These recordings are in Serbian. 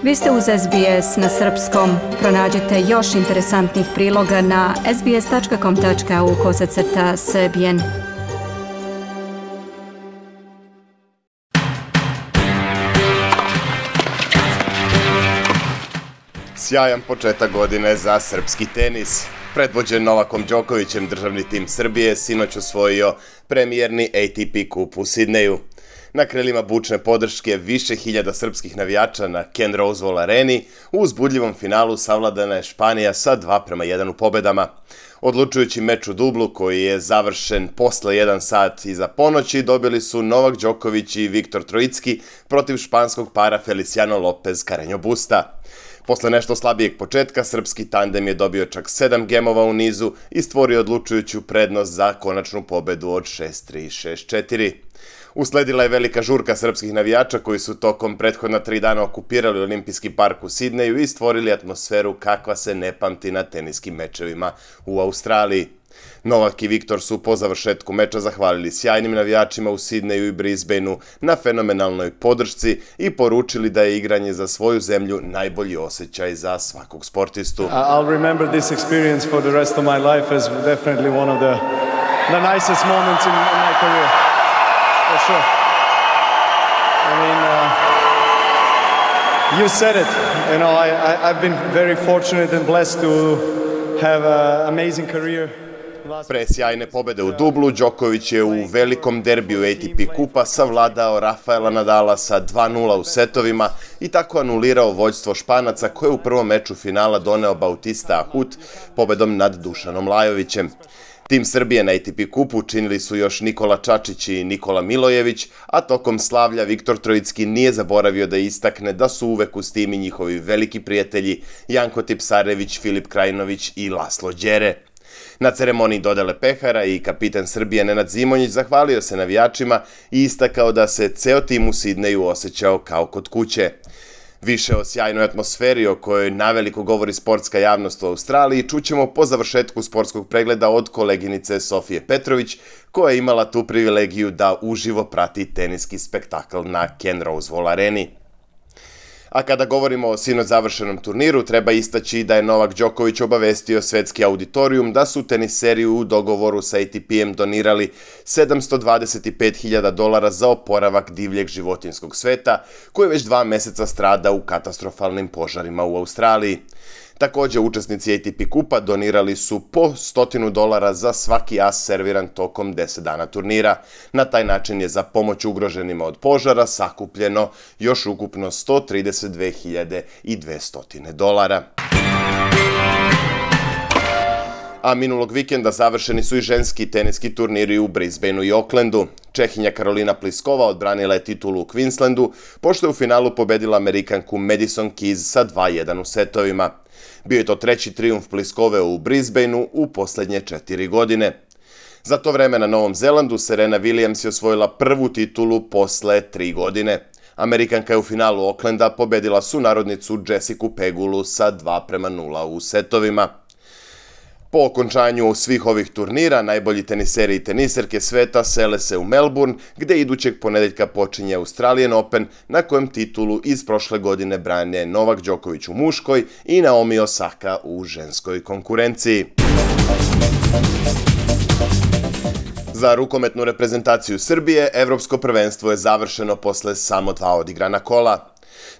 Vi ste uz SBS na srpskom. Pronađite još interesantnih priloga na sbs.com.au/srbijen. Sjajan početak godine za srpski tenis. Predvođen Novakom Đokovićem, državni tim Srbije sinoć osvojio premijerni ATP kup u Sidneju. Na krilima bučne podrške više hiljada srpskih navijača na Ken Rosewall areni u uzbudljivom finalu savladana je Španija sa 2:1 u pobedama. Odlučujući meč u dublu, koji je završen posle 1 sat iza ponoći, dobili su Novak Đoković i Viktor Trojicki protiv španskog para Feliciano Lopez Carreño Busta. Posle nešto slabijeg početka, srpski tandem je dobio čak 7 gemova u nizu i stvorio odlučujuću prednost za konačnu pobedu od 6-3 i 6-4. Usledila je velika žurka srpskih navijača koji su tokom prethodna 3 dana okupirali Olimpijski park u Sidneju i stvorili atmosferu kakva se ne pamti na teniskim mečevima u Australiji. Novak i Viktor su po završetku meča zahvalili sjajnim navijačima u Sidneju i Brisbaneu na fenomenalnoj podršci i poručili da je igranje za svoju zemlju najbolji osjećaj za svakog sportistu. I'll remember this experience for the rest of my life as definitely one of the nicest moments in my career. For sure. I mean, you said it. You know, I've been very fortunate and blessed to have an amazing career. Pre sjajne pobede u dublu, Đoković je u velikom derbiju ATP kupa savladao Rafaela Nadala sa 2:0 u setovima i tako anulirao vođstvo Španaca koje je u prvom meču finala doneo Bautista Agut pobedom nad Dušanom Lajovićem. Tim Srbije na ATP kupu činili su još Nikola Čačić i Nikola Milojević, a tokom slavlja Viktor Trojicki nije zaboravio da istakne da su uvek uz tim i njihovi veliki prijatelji Janko Tipsarević, Filip Krajinović i Laslo Đere. Na ceremoniji dodele pehara i kapitan Srbije Nenad Zimonjić zahvalio se navijačima i istakao da se ceo tim u Sidneju osjećao kao kod kuće. Više o sjajnoj atmosferi o kojoj naveliko govori sportska javnost u Australiji čućemo po završetku sportskog pregleda od koleginice Sofije Petrović, koja je imala tu privilegiju da uživo prati teniski spektakl na Ken Rosewall areni. A kada govorimo o sinoć završenom turniru, treba istaći da je Novak Đoković obavestio svetski auditorijum da su teniseri u dogovoru sa ATP-em donirali $725.000 za oporavak divljeg životinjskog sveta, koji već 2 meseca strada u katastrofalnim požarima u Australiji. Također, učesnici ATP kupa donirali su po $100 za svaki as serviran tokom 10 dana turnira. Na taj način je za pomoć ugroženima od požara sakupljeno još ukupno $132.200. A minulog vikenda završeni su i ženski teniski turniri u Brisbaneu i Aucklandu. Čehinja Karolina Pliskova odbranila je titulu u Queenslandu, pošto je u finalu pobedila Amerikanku Madison Keys sa 2:1 u setovima. Bio je to 3. trijumf Pliskove u Brisbaneu u posljednje 4 godine. Za to vreme na Novom Zelandu Serena Williams je osvojila prvu titulu posle 3 godine. Amerikanka je u finalu Aucklanda pobedila sunarodnicu Jessicu Pegulu sa 2:0 u setovima. Po okončanju svih ovih turnira, najbolji teniseri i teniserke sveta sele se u Melbourne, gde idućeg ponedeljka počinje Australian Open, na kojem titulu iz prošle godine brane Novak Đoković u muškoj i Naomi Osaka u ženskoj konkurenciji. Za rukometnu reprezentaciju Srbije, evropsko prvenstvo je završeno posle samo 2 odigrana kola.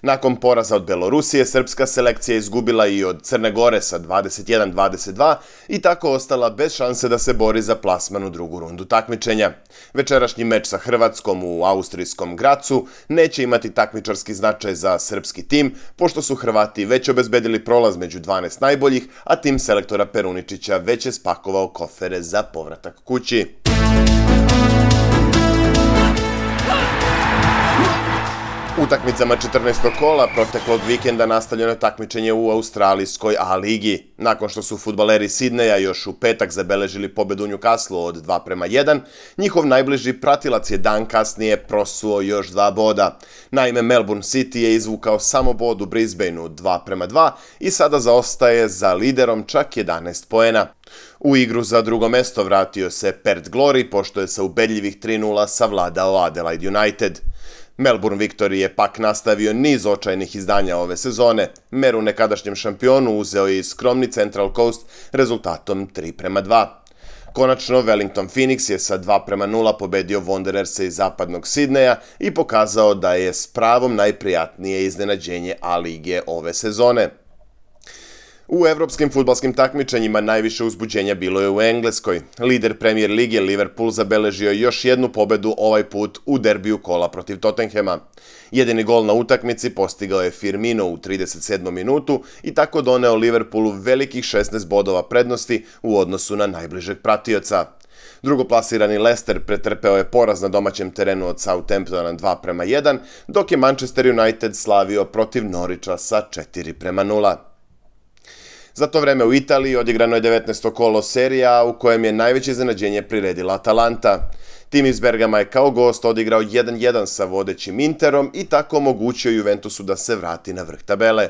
Nakon poraza od Belorusije, srpska selekcija je izgubila i od Crne Gore sa 21-22 i tako ostala bez šanse da se bori za plasman u drugu rundu takmičenja. Večerašnji meč sa Hrvatskom u austrijskom Gracu neće imati takmičarski značaj za srpski tim, pošto su Hrvati već obezbedili prolaz među 12 najboljih, a tim selektora Peruničića već je spakovao kofere za povratak kući. Utakmicama 14. kola proteklog vikenda nastavljeno je takmičenje u australijskoj A-ligi. Nakon što su fudbaleri Sidneja još u petak zabeležili pobedu u Newcastleu od 2:1, njihov najbliži pratilac je dan kasnije prosuo još 2 boda. Naime, Melbourne City je izvukao samo bod u Brisbaneu 2:2 i sada zaostaje za liderom čak 11 poena. U igru za drugo mesto vratio se Perth Glory, pošto je sa ubedljivih 3:0 savladao Adelaide United. Melbourne Victory je pak nastavio niz očajnih izdanja ove sezone. Meru nekadašnjem šampionu uzeo je i skromni Central Coast rezultatom 3:2. Konačno, Wellington Phoenix je sa 2:0 pobedio Wandererse iz zapadnog Sidneja i pokazao da je s pravom najprijatnije iznenađenje A-lige ove sezone. U evropskim fudbalskim takmičenjima najviše uzbuđenja bilo je u Engleskoj. Lider Premier lige Liverpool zabeležio još jednu pobedu, ovaj put u derbiju kola protiv Tottenhama. Jedini gol na utakmici postigao je Firmino u 37. minutu i tako doneo Liverpoolu velikih 16 bodova prednosti u odnosu na najbližeg pratioca. Drugoplasirani Leicester pretrpeo je poraz na domaćem terenu od Southamptona 2:1, dok je Manchester United slavio protiv Norwicha sa 4:0. Za to vreme u Italiji odigrano je 19. kolo Serie A u kojem je najveće iznenađenje priredila Atalanta. Tim iz Bergama je kao gost odigrao 1:1 sa vodećim Interom i tako omogućio Juventusu da se vrati na vrh tabele.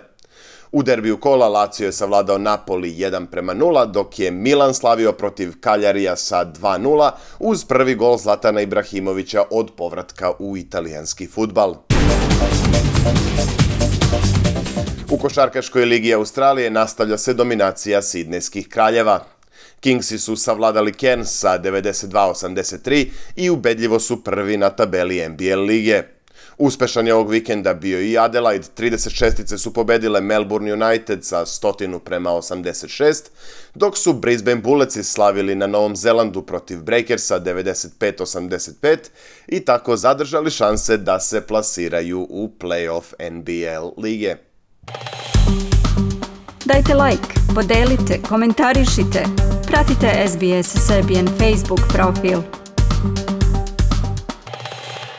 U derbiju kola Lazio je savladao Napoli 1:0, dok je Milan slavio protiv Cagliarija sa 2:0 uz prvi gol Zlatana Ibrahimovića od povratka u italijanski fudbal. U košarkaškoj ligi Australije nastavlja se dominacija sidnejskih kraljeva. Kingsi su savladali Cairns sa 92-83 i ubedljivo su prvi na tabeli NBL lige. Uspešan je ovog vikenda bio i Adelaide, 36-ice su pobedile Melbourne United sa 100:86, dok su Brisbane Bulletsi slavili na Novom Zelandu protiv Breakersa 95-85 i tako zadržali šanse da se plasiraju u play-off NBL lige. Dajte like, podelite, komentarišite, pratite SBS Serbian Facebook profil.